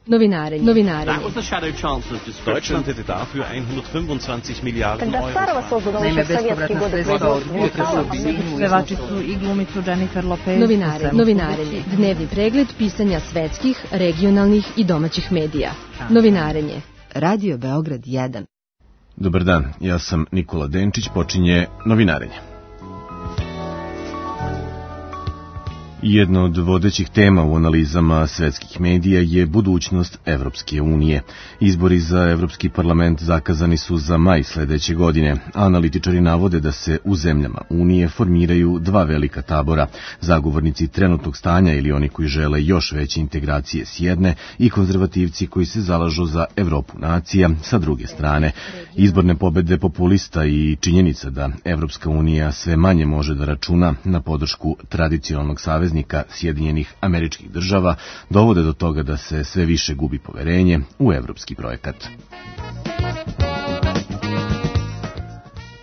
Novinarenje. Deutschland hätte dafür 125 Milijarden Euro. Naime, bespovratna sredstva od pevačicu i glumicu Jennifer Lopez. Novinarenje. Dnevni pregled pisanja svetskih, regionalnih i domaćih medija. Novinarenje. Radio Beograd 1. Dobar dan, ja sam Nikola Denčić, počinje Novinarenje. Jedna od vodećih tema u analizama svetskih medija je budućnost Evropske unije. Izbori za Evropski parlament zakazani su za maj sledeće godine. Analitičari navode da se u zemljama Unije formiraju dva velika tabora, zagovornici trenutnog stanja ili oni koji žele još veće integracije s jedne i konzervativci koji se zalažu za Evropu nacija sa druge strane. Izborne pobede populista i činjenica da Evropska unija sve manje može da računa na podršku tradicionalnog saveznika Sjedinjenih Američkih Država dovode do toga da se sve više gubi poverenje u evropski projekat.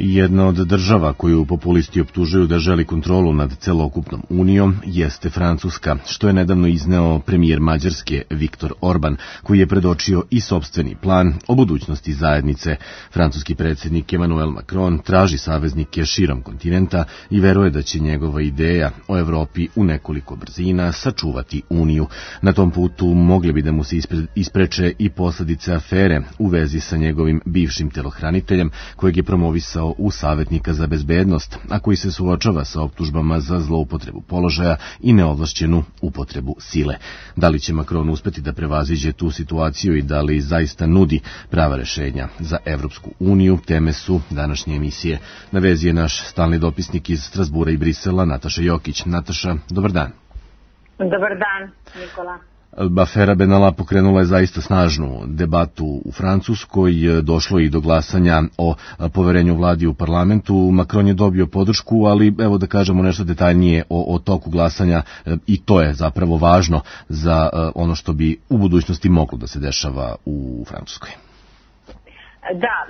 Jedna od država koju populisti optužuju da želi kontrolu nad celokupnom unijom jeste Francuska, što je nedavno izneo premijer Mađarske Viktor Orban, koji je predočio i sopstveni plan o budućnosti zajednice. Francuski predsjednik Emmanuel Macron traži saveznike širom kontinenta i veruje da će njegova ideja o Evropi u nekoliko brzina sačuvati uniju. Na tom putu mogli bi da mu se ispreče i posledice afere u vezi sa njegovim bivšim telohraniteljem, kojeg je promovisao u savjetnika za bezbednost, a koji se suočava sa optužbama za zloupotrebu položaja i neovlašćenu upotrebu sile. Da li će Macron uspeti da prevaziđe tu situaciju i da li zaista nudi prava rešenja za Evropsku uniju, teme su današnje emisije. Na vezi je naš stalni dopisnik iz Strasbura i Brisela, Nataša Jokić. Nataša, dobar dan. Dobar dan, Nikola. Afera Benalla pokrenula je zaista snažnu debatu u Francuskoj, došlo i do glasanja o poverenju vladi u parlamentu. Macron je dobio podršku, ali evo da kažemo nešto detaljnije o toku glasanja i to je zapravo važno za ono što bi u budućnosti moglo da se dešava u Francuskoj. Da,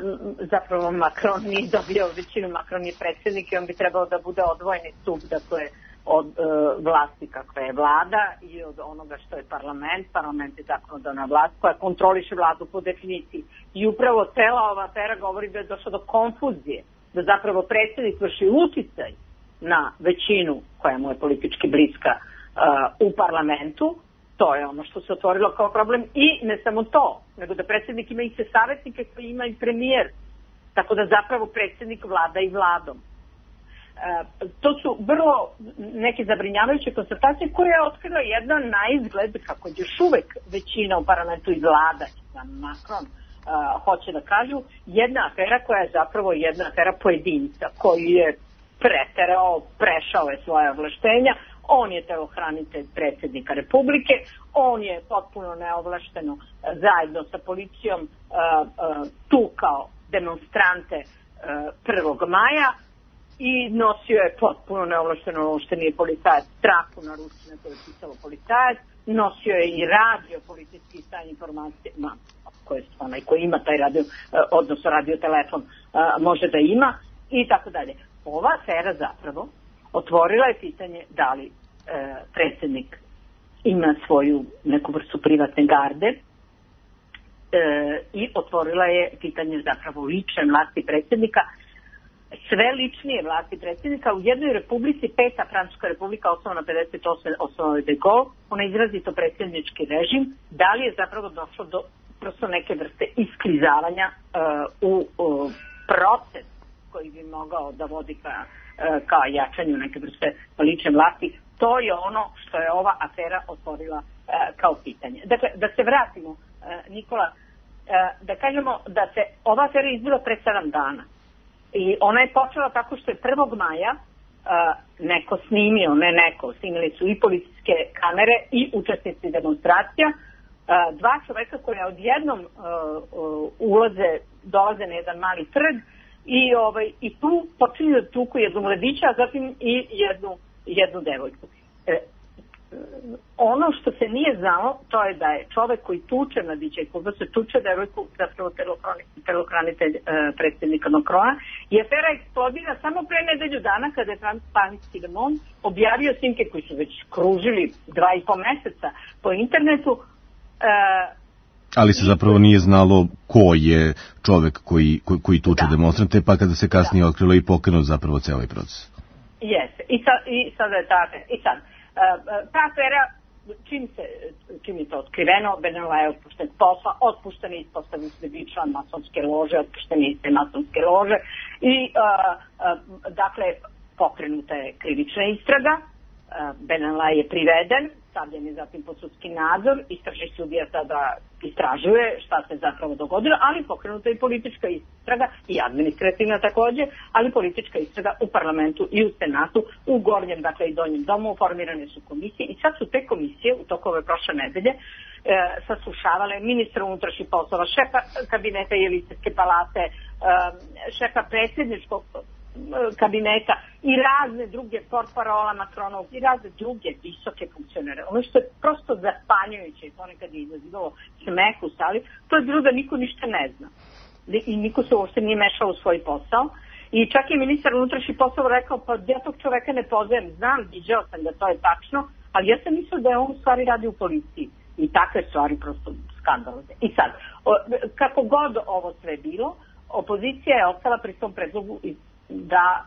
zapravo Macron nije dobio većinu, Macron je predsjednik i on bi trebao da bude odvojeni stup, dakle, od vlasti kakva je vlada i od onoga što je parlament. Parlament je zakonodavna vlast koja kontroliše vladu po definiciji. I upravo cela ova afera govori da je došlo do konfuzije, da zapravo predsjednik vrši uticaj na većinu koja mu je politički bliska u parlamentu. To je ono što se otvorilo kao problem i ne samo to, nego da predsjednik ima i se savjetnike koji ima i premijer. Tako da zapravo predsjednik vlada i vladom. To su vrlo neke zabrinjavajuće konstatacije koje je otkrila jedan na izgled, kako je još uvek većina u parlamentu i vlada, sam Macron hoće da kažu, jedna afera koja je zapravo jedna afera pojedinca koji je preterao, prešao je svoje ovlaštenja. On je telohranitelj predsjednika Republike, on je potpuno neovlašteno zajedno sa policijom tukao demonstrante 1. maja i nosio je potpuno neovlašteno, ono što nije policajac, traku na ruci na kojoj je pisalo policajac, nosio je i radio policijski stan informacije, onaj koji ima taj radio, odnosno radio telefon može da ima i tako dalje. Ova afera zapravo otvorila je pitanje da li predsjednik ima svoju neku vrstu privatne garde i otvorila je pitanje zapravo lične vlasti predsjednika, sve ličnije vlasti predsjednika. U jednoj republici, Peta Francuska republika, osnovana 58, osnovana de Gaulle, ona izrazito predsjednički režim, da li je zapravo došlo do prosto neke vrste isklizavanja u proces koji bi mogao da vodi ka jačanju neke vrste lične vlasti. To je ono što je ova afera otvorila kao pitanje. Dakle, da se vratimo, Nikola, da kažemo da se ova afera izbila pre 7 dana. I ona je počela tako što je 1. maja neko snimio, snimili su i policijske kamere i učesnici demonstracija, dva čoveka koja odjednom dolaze na jedan mali trg i tu počinju da tuku jednu mladića, a zatim i jednu devojku. Ono što se nije znalo, to je da je čovek koji tuče mladića i koga se tuče devojku zapravo telohranitelj predsjednika Macrona, i afera eksplodira samo pre nedelju dana kada je Francuski Le Monde objavio snimke koji su već kružili 2,5 meseca po internetu, Ali se zapravo nije znalo ko je čovek koji tuče demonstrante, pa kada se kasnije otkrilo i pokrenut zapravo cijeli proces. Jeste. I sada je ta afera, čim je to otkriveno, Benela je otpušten posla, otpušten je ispostavljen se biti član masonske lože, otpušten je iz te masonske lože i dakle pokrenuta je krivična istraga, Benela je priveden, stavljen je zatim pod sudski nadzor, istražni sudija tada istražuje šta se zapravo dogodilo, ali pokrenuta je politička istraga i administrativna takođe, ali politička istraga u parlamentu i u senatu, u gornjem, dakle i donjem domu, formirane su komisije i sad su te komisije u toku ove prošle nedelje saslušavale ministra unutrašnjih poslova, šefa kabineta Jelisejske palate, šefa predsjedničkog kabineta i razne druge portparola Macronov i razne druge visoke funkcionere. Ono što je prosto zapanjujuće i ponekad je izazivalo smeh u sali, to je bilo da niko ništa ne zna. I niko se uopšte nije mešao u svoj posao. I čak je ministar unutrašnjih poslova rekao, pa ja tog čoveka ne poznajem, znam, viđao sam da to je tačno, ali ja sam mislio da je on u stvari radi u policiji. I takve stvari prosto skandalozne. I sad, kako god ovo sve bilo, opozicija je ostala pri tom predlogu da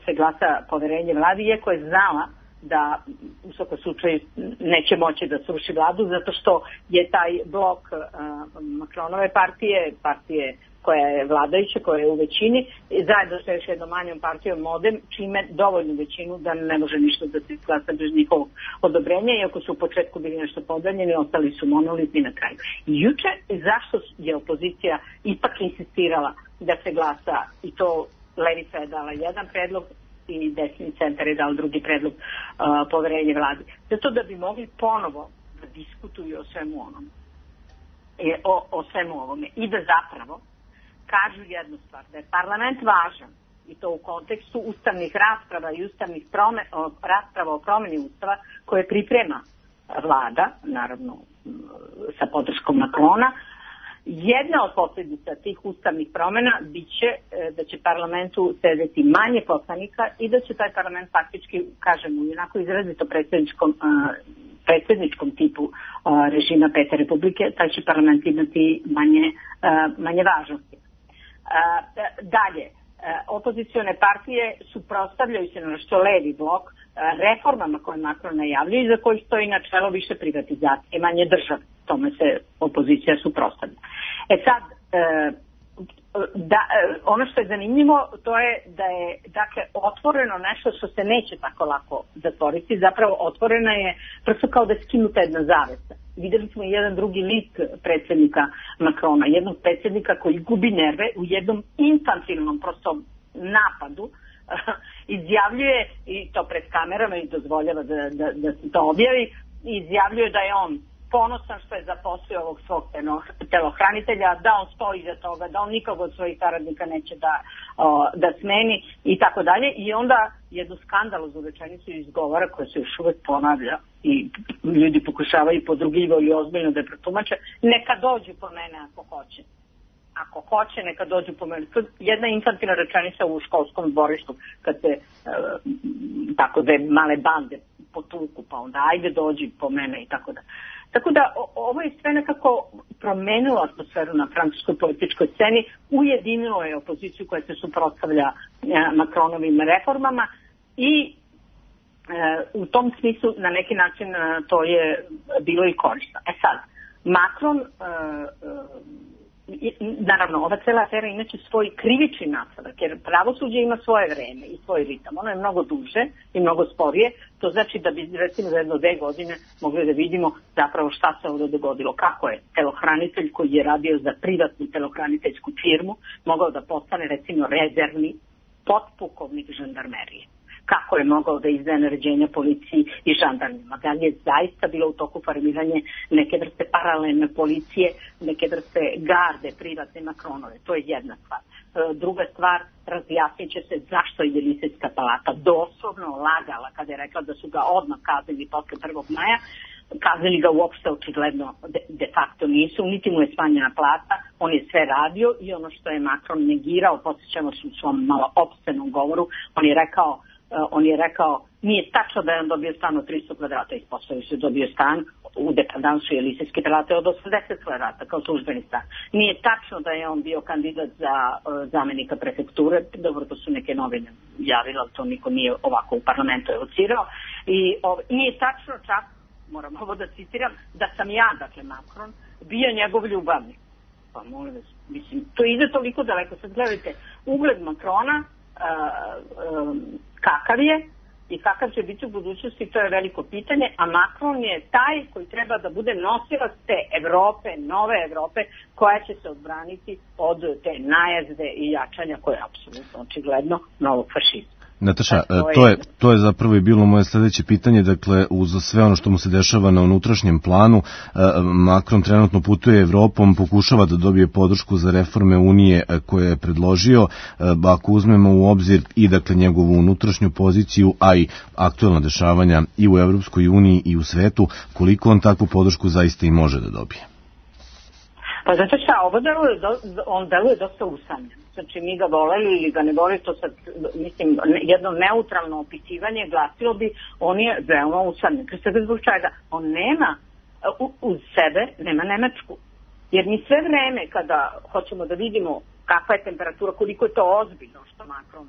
se glasa poverenje vladi, iako je znala da u svakom slučaju neće moći da sruši vladu, zato što je taj blok Macronove partije koja je vladajuća, koja je u većini, zajedno sa još jednom manjom partijom Modem, čime dovoljnu većinu da ne može ništa da se glasa bez njihovog odobrenja, iako su u početku bili nešto podeljeni, ostali su monolitni na kraju. I juče, zašto je opozicija ipak insistirala da se glasa, i to Levica je dala jedan predlog i desni centar je dao drugi predlog poverenje vladi. Zato da bi mogli ponovo da diskutuju o svemu onom. O svemu ovome. I da zapravo kažu jednu stvar, da je parlament važan i to u kontekstu ustavnih rasprava i ustavnih rasprava o promjeni ustava koje priprema vlada, naravno sa podrškom Macrona. Jedna od posljedica tih ustavnih promjena biće da će parlamentu sedeti manje poslanika i da će taj parlament faktički, kažemo, u onako izrazito predsjedničkom tipu režima Pete Republike, taj će parlament imati manje važnosti. Dalje, opozicione partije suprotstavljaju se na što levi blok reformama koje Macron najavljuje i za koji stoji načelo više privatizacije, manje države. Tome se opozicija suprotstavlja. Sad, ono što je zanimljivo, to je da je dakle otvoreno nešto što se neće tako lako zatvoriti, zapravo otvorena je prosto kao da je skinuta jedna zavesa. Vidjeli smo jedan drugi lik predsjednika Macrona, jednog predsjednika koji gubi nerve u jednom infantilnom prosto napadu, izjavljuje, i to pred kamerama i dozvoljava da se to objavi, izjavljuje da je on ponosan što je zaposlio ovog svog telohranitelja, da on stoji iza toga, da on nikog od svojih saradnika neće da smeni i tako dalje. I onda jednu skandaloznu rečenicu izgovara koja se još uvek ponavlja i ljudi pokušavaju podrugljivo i ozbiljno da je protumače. Neka dođu po mene ako hoće. Ako hoće, neka dođu po mene. Jedna infantilna rečenica u školskom dvorištu kad se tako da male bande potuku, pa onda ajde dođi po mene i tako da. Tako da ovo je sve nekako promenilo atmosferu na francuskoj političkoj sceni, ujedinilo je opoziciju koja se suprotstavlja Macronovim reformama i u tom smislu na neki način to je bilo i korisno. Sad, Macron, naravno, ova cela afera inače svoj krivični nastavak, jer pravosuđe ima svoje vreme i svoj ritam. Ono je mnogo duže i mnogo sporije. To znači da bi recimo za 1-2 godine mogli da vidimo zapravo šta se ovdje dogodilo. Kako je telohranitelj koji je radio za privatnu telohraniteljsku firmu mogao da postane recimo rezervni potpukovnik žandarmerije. Kako je mogao da izdaje naređenja policiji i žandarmima. Da li je zaista bilo u toku formiranje neke vrste paralelne policije, neke vrste garde privatne Macronove. To je jedna stvar. Druga stvar, razjasnit će se zašto je Jelisejska palata doslovno lagala kada je rekla da su ga odmah kaznili posle 1. maja. Kaznili ga uopšte očigledno de facto nisu, niti mu je smanjena plata, on je sve radio i ono što je Macron negirao, podsjećamo se u svom malo opscenom govoru, on je rekao, nije tačno da je on dobio stan od 300 kvadrata, ispostavio se dobio stan u dependansu Elizejske prelate od 80 kvadrata kao službeni stan. Nije tačno da je on bio kandidat za zamenika prefekture, dobro, to su neke novine javile, ali to niko nije ovako u parlamentu evocirao. I nije tačno čak, moram ovo da citiram, da sam ja, dakle Macron, bio njegov ljubavnik. Pa molim vas, mislim, to ide toliko daleko. Sad gledajte, ugled Macrona, kakav je i kakav će biti u budućnosti, to je veliko pitanje, a Macron je taj koji treba da bude nosilac te Evrope, nove Evrope, koja će se odbraniti od te najezde i jačanja koje je apsolutno očigledno novog fašizma. Nataša, to je zapravo i bilo moje sledeće pitanje, dakle, uz sve ono što mu se dešava na unutrašnjem planu, Macron trenutno putuje Evropom, pokušava da dobije podršku za reforme Unije koje je predložio, ako uzmemo u obzir i, dakle, njegovu unutrašnju poziciju, a i aktuelna dešavanja i u Evropskoj uniji i u svetu, koliko on takvu podršku zaista i može da dobije? Pa zato šta, on deluje dosta usamljen. Znači, mi ga voleli ili ga ne voleli, to sad, mislim, jedno neutralno opisivanje glasilo bi, on je veoma usamljen. Pre svega zbog čega? On nema uz sebe, nema Nemačku. Jer mi sve vreme kada hoćemo da vidimo kakva je temperatura, koliko je to ozbiljno što Macron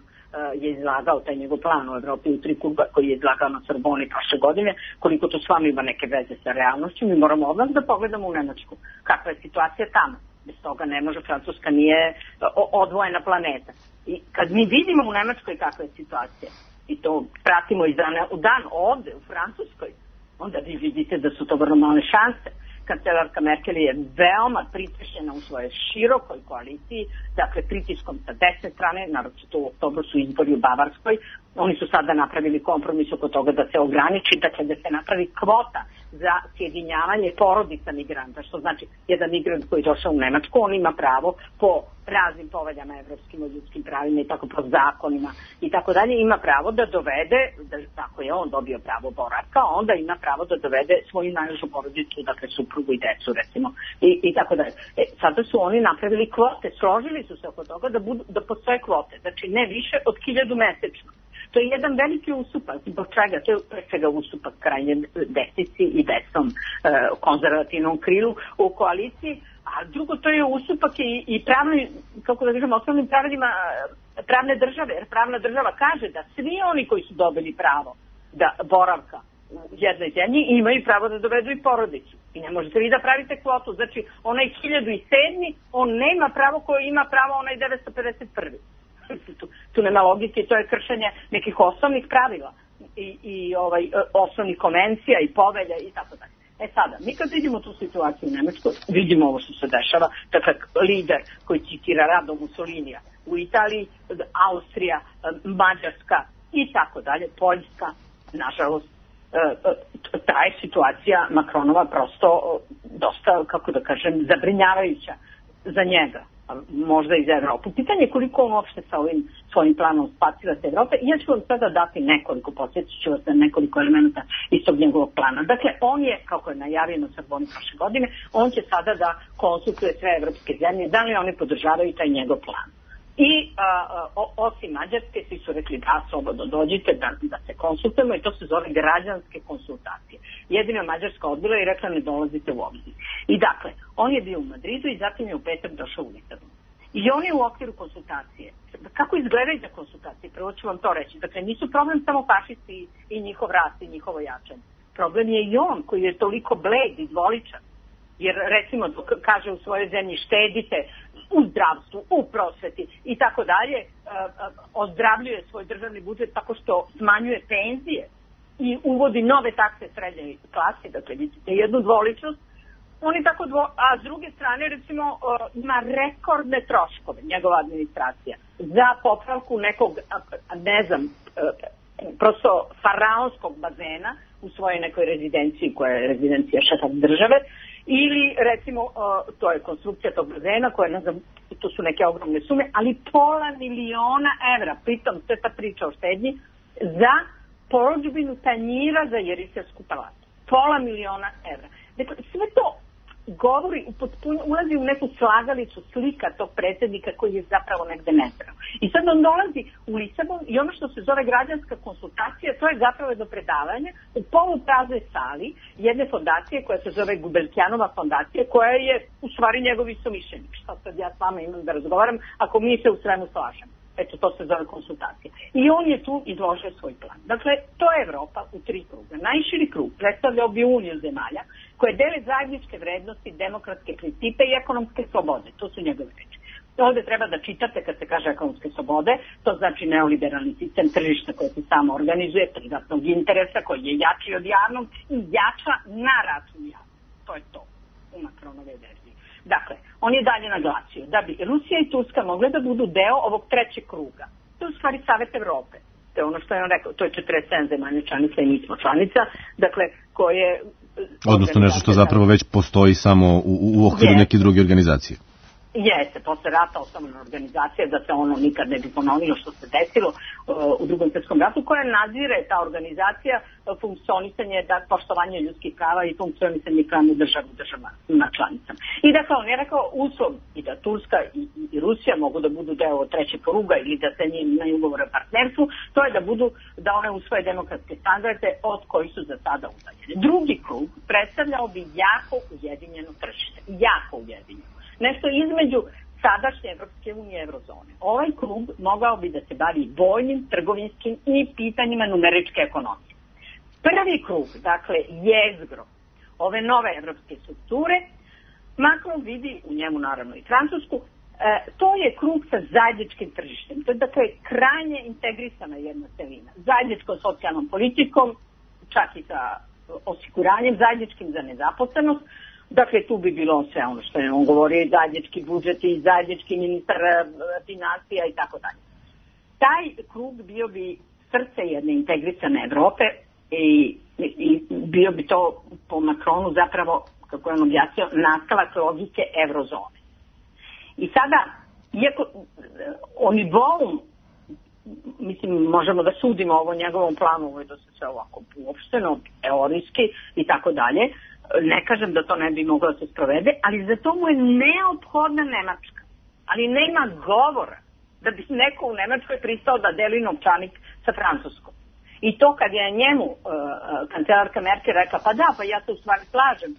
je izlagao taj njegov plan u Evropi u 3 kruga koji je izlagao na Sorboni prošle godine, koliko to s vama ima neke veze sa realnošću, mi moramo odmah da pogledamo u Nemačku. Kakva je situacija tamo? Bez toga ne može, Francuska nije odvojena planeta. I kad mi vidimo u Nemačkoj kakva je situacija, i to pratimo iz dana u dan ovde u Francuskoj, onda vi vidite da su to vrlo male šanse. Kancelarka Merkel je veoma pritišćena u svojoj širokoj koaliciji, dakle pritiskom sa desne strane, naročito u oktobru su izbori u Bavarskoj, oni su sada napravili kompromis oko toga da se ograniči, dakle da se napravi kvota za sjedinjavanje porodica migranta, što znači jedan migrant koji je došao u Nemačku, on ima pravo po raznim poveljama evropskim o ljudskim pravima i tako po zakonima i tako dalje, ima pravo da dovede, tako je on dobio pravo boravka, onda ima pravo da dovede svoju najveću porodicu, dakle suprugu i decu recimo i tako dalje. Sada su oni napravili kvote, složili su se oko toga da postoje kvote, znači ne više od 1000 mesečno. To je jedan veliki ustupak, zbog čega? To je pre svega ustupak krajnje desnici i desnom konzervativnom krilu u koaliciji, a drugo to je ustupak i pravni, kako da kažem, osnovnim pravilima pravne države, jer pravna država kaže da svi oni koji su dobili pravo da boravka u jednoj zemlji imaju pravo da dovedu i porodicu. I ne možete vi da pravite kvotu, znači onaj 1007. on nema pravo koje ima pravo onaj 951. Tu nema logike, to je kršenje nekih osnovnih pravila i osnovnih konvencija i povelja i tako dalje. Sada, mi kad vidimo tu situaciju u Nemačkoj, vidimo ovo što se dešava, dakle, lider koji citira Rado Mussolinija, u Italiji, Austrija, Mađarska i tako dalje, Poljska, nažalost, ta je situacija Macronova prosto dosta, kako da kažem, zabrinjavajuća za njega. Možda i za Evropu. Pitanje je koliko on uopšte sa ovim svojim planom spasila se Evrope. I ja ću vam sada dati nekoliko, podsjetit ću vas na nekoliko elementa iz tog njegovog plana. Dakle, on je, kako je najavio na Sorboni prošle godine, on će sada da konsultuje sve evropske zemlje, da li oni podržavaju taj njegov plan. I osim Mađarske, svi su rekli da slobodno dođite, da se konsultujemo i to se zove građanske konsultacije. Jedina Mađarska odbila i rekla ne dolazite u obzir. I dakle, on je bio u Madridu i zatim je u petak došao u Lissabon. I on je u okviru konsultacije. Kako izgledaju za konsultacije? Prvo ću vam to reći. Dakle, nisu problem samo fašisti i njihov rast i njihovo jačanje. Problem je i on koji je toliko bled i dvoličan. Jer recimo kaže u svojoj zemlji štedite u zdravstvu, u prosveti i tako dalje, ozdravljuje svoj državni budžet tako što smanjuje penzije i uvodi nove takse srednje klase, dakle vidite jednu dvoličnost, oni tako a s druge strane recimo ima rekordne troškove njegova administracija za popravku nekog, ne znam, prosto faraonskog bazena u svojoj nekoj rezidenciji koja je rezidencija šefa države. Ili, recimo, to je konstrukcija tog bazena koja, ne znam, to su neke ogromne sume, ali $500.000 evra, pritom sve ta priča o štednji, za porudžbinu tanjira za Jerisejsku palatu. $500.000 evra. Dakle, sve to govori, ulazi u neku slagalicu slika tog predsjednika koji je zapravo negde nezdrav. I sad on dolazi u Lisabon i ono što se zove građanska konsultacija, to je zapravo jedno predavanje u polupraznoj sali jedne fondacije koja se zove Gubelkjanova fondacija, koja je u stvari njegov istomišljenik. Šta sad ja s vama imam da razgovaram ako mi se u svemu slažemo. Eto, to se zove konsultacija. I on je tu izložio svoj plan. Dakle, to je Evropa u 3 kruga. Najširi krug predstavljao bi uniju zemalja koje dele zajedničke vrednosti, demokratske principe i ekonomske slobode. To su njegove reči. Ovde treba da čitate kad se kaže ekonomske slobode, to znači neoliberalni sistem tržišta koje se samo organizuje, privatnog interesa koji je jači od javnog i jača na račun javnog. To je to u Macronove verziji. Dakle, on je dalje naglasio da bi Rusija i Turska mogle da budu deo ovog 3. kruga. To je u stvari Savet Evrope. To je ono što je on rekao, to je 47 zemalja članica i mi smo članica, dakle, koje... Odnosno nešto što zapravo već postoji samo u okviru neke druge organizacije. Jeste, posle rata osnovna organizacija, da se ono nikad ne bi ponovilo što se desilo u Drugom svjetskom ratu, koja nadzire ta organizacija funkcionisanje, poštovanje ljudskih prava i funkcionisanje pravne državama članicama. I dakle, on je rekao uslov i da Turska i Rusija mogu da budu deo 3. kruga ili da se njim imaju ugovore o partnerstvu, to je da one usvoje demokratske standarde od koji su za sada udaljene. Drugi krug predstavljao bi jako ujedinjeno tržište. Jako ujedinjeno. Nešto između sadašnje Evropske unije i Eurozone. Ovaj krug mogao bi da se bavi vojnim, trgovinskim i pitanjima numeričke ekonomije. Prvi krug, dakle jezgro ove nove evropske strukture, Macron vidi u njemu naravno i Francusku, to je krug sa zajedničkim tržištem. To je dakle krajnje integrisana jedna celina. Zajedničkom socijalnom politikom, čak i sa osiguranjem, zajedničkim za nezaposlenost. Dakle, tu bi bilo sve ono što je on govorio, i zajednički budžet i zajednički ministar finansija i tako dalje. Taj krug bio bi srce jedne integrisane Evrope i bio bi to po Macronu zapravo, kako je on objasnio, nastavak logike Eurozone. I sada, iako o nivou, mislim, možemo da sudimo ovo njegovom planu, ovo je da se sve ovako uopšteno, teorijski i tako dalje, ne kažem da to ne bi moglo da se sprovede, ali za to mu je neophodna Nemačka. Ali nema govora da bi neko u Nemačkoj pristao da deli novčanik sa Francuskom. I to kad je njemu kancelarka Merkel rekla, pa da, pa ja se u stvari slažem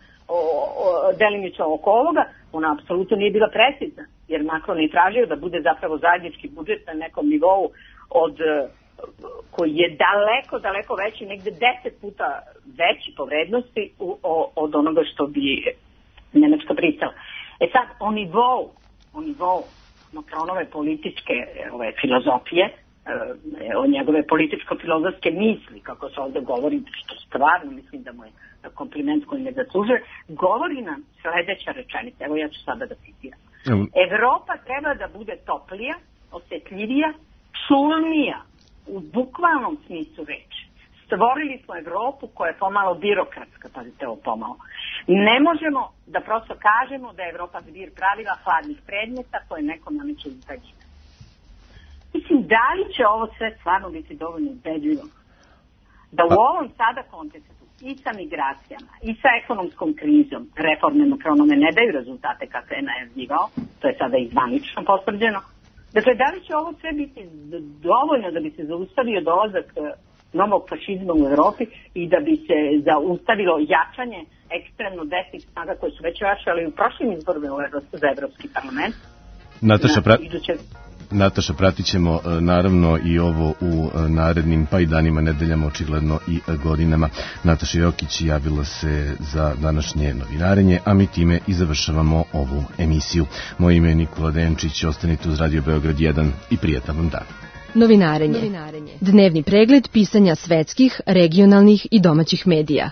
delimično oko ovoga, ona apsolutno nije bila precizna, jer Macron je tražio da bude zapravo zajednički budžet na nekom nivou koji je daleko veći, negde 10 puta veći po vrednosti od onoga što bi Nemačka pristala. E sad, o nivou Macronove političke filozofije, o njegove političko-filozofske misli, kako se ovdje govori, što stvarno mislim da mu je kompliment koji ne zaslužuje, govori nam sledeća rečenica. Evo ja ću sada da citiram. Evropa treba da bude toplija, osjetljivija, čulnija, u bukvalnom smislu reči. Stvorili smo Evropu koja je pomalo birokratska, pazite ovo pomalo. Ne možemo da prosto kažemo da je Evropa zbir pravila hladnih predmeta koje neko nameće iz daljine. Mislim, da li će ovo sve stvarno biti dovoljno ubedljivo? Da u ovom sada kontekstu i sa migracijama i sa ekonomskom krizom reforme Macronove ne daju rezultate kako je najavljivao, to je sada i zvanično potvrđeno. Dakle, da li će ovo sve biti dovoljno da bi se zaustavio dolazak novog fašizma u Evropi i da bi se zaustavilo jačanje ekstremno desnih snaga koje su već jačali u prošlim izborima za Evropski parlament? Nataša, pratit ćemo naravno i ovo u narednim pa i danima, nedeljama, očigledno i godinama. Nataša Jokić javila se za današnje novinarenje, a mi time i završavamo ovu emisiju. Moje ime je Nikola Denčić, ostanite uz Radio Beograd 1 i prijatan vam dan. Novinarenje. Dnevni pregled pisanja svetskih, regionalnih i domaćih medija.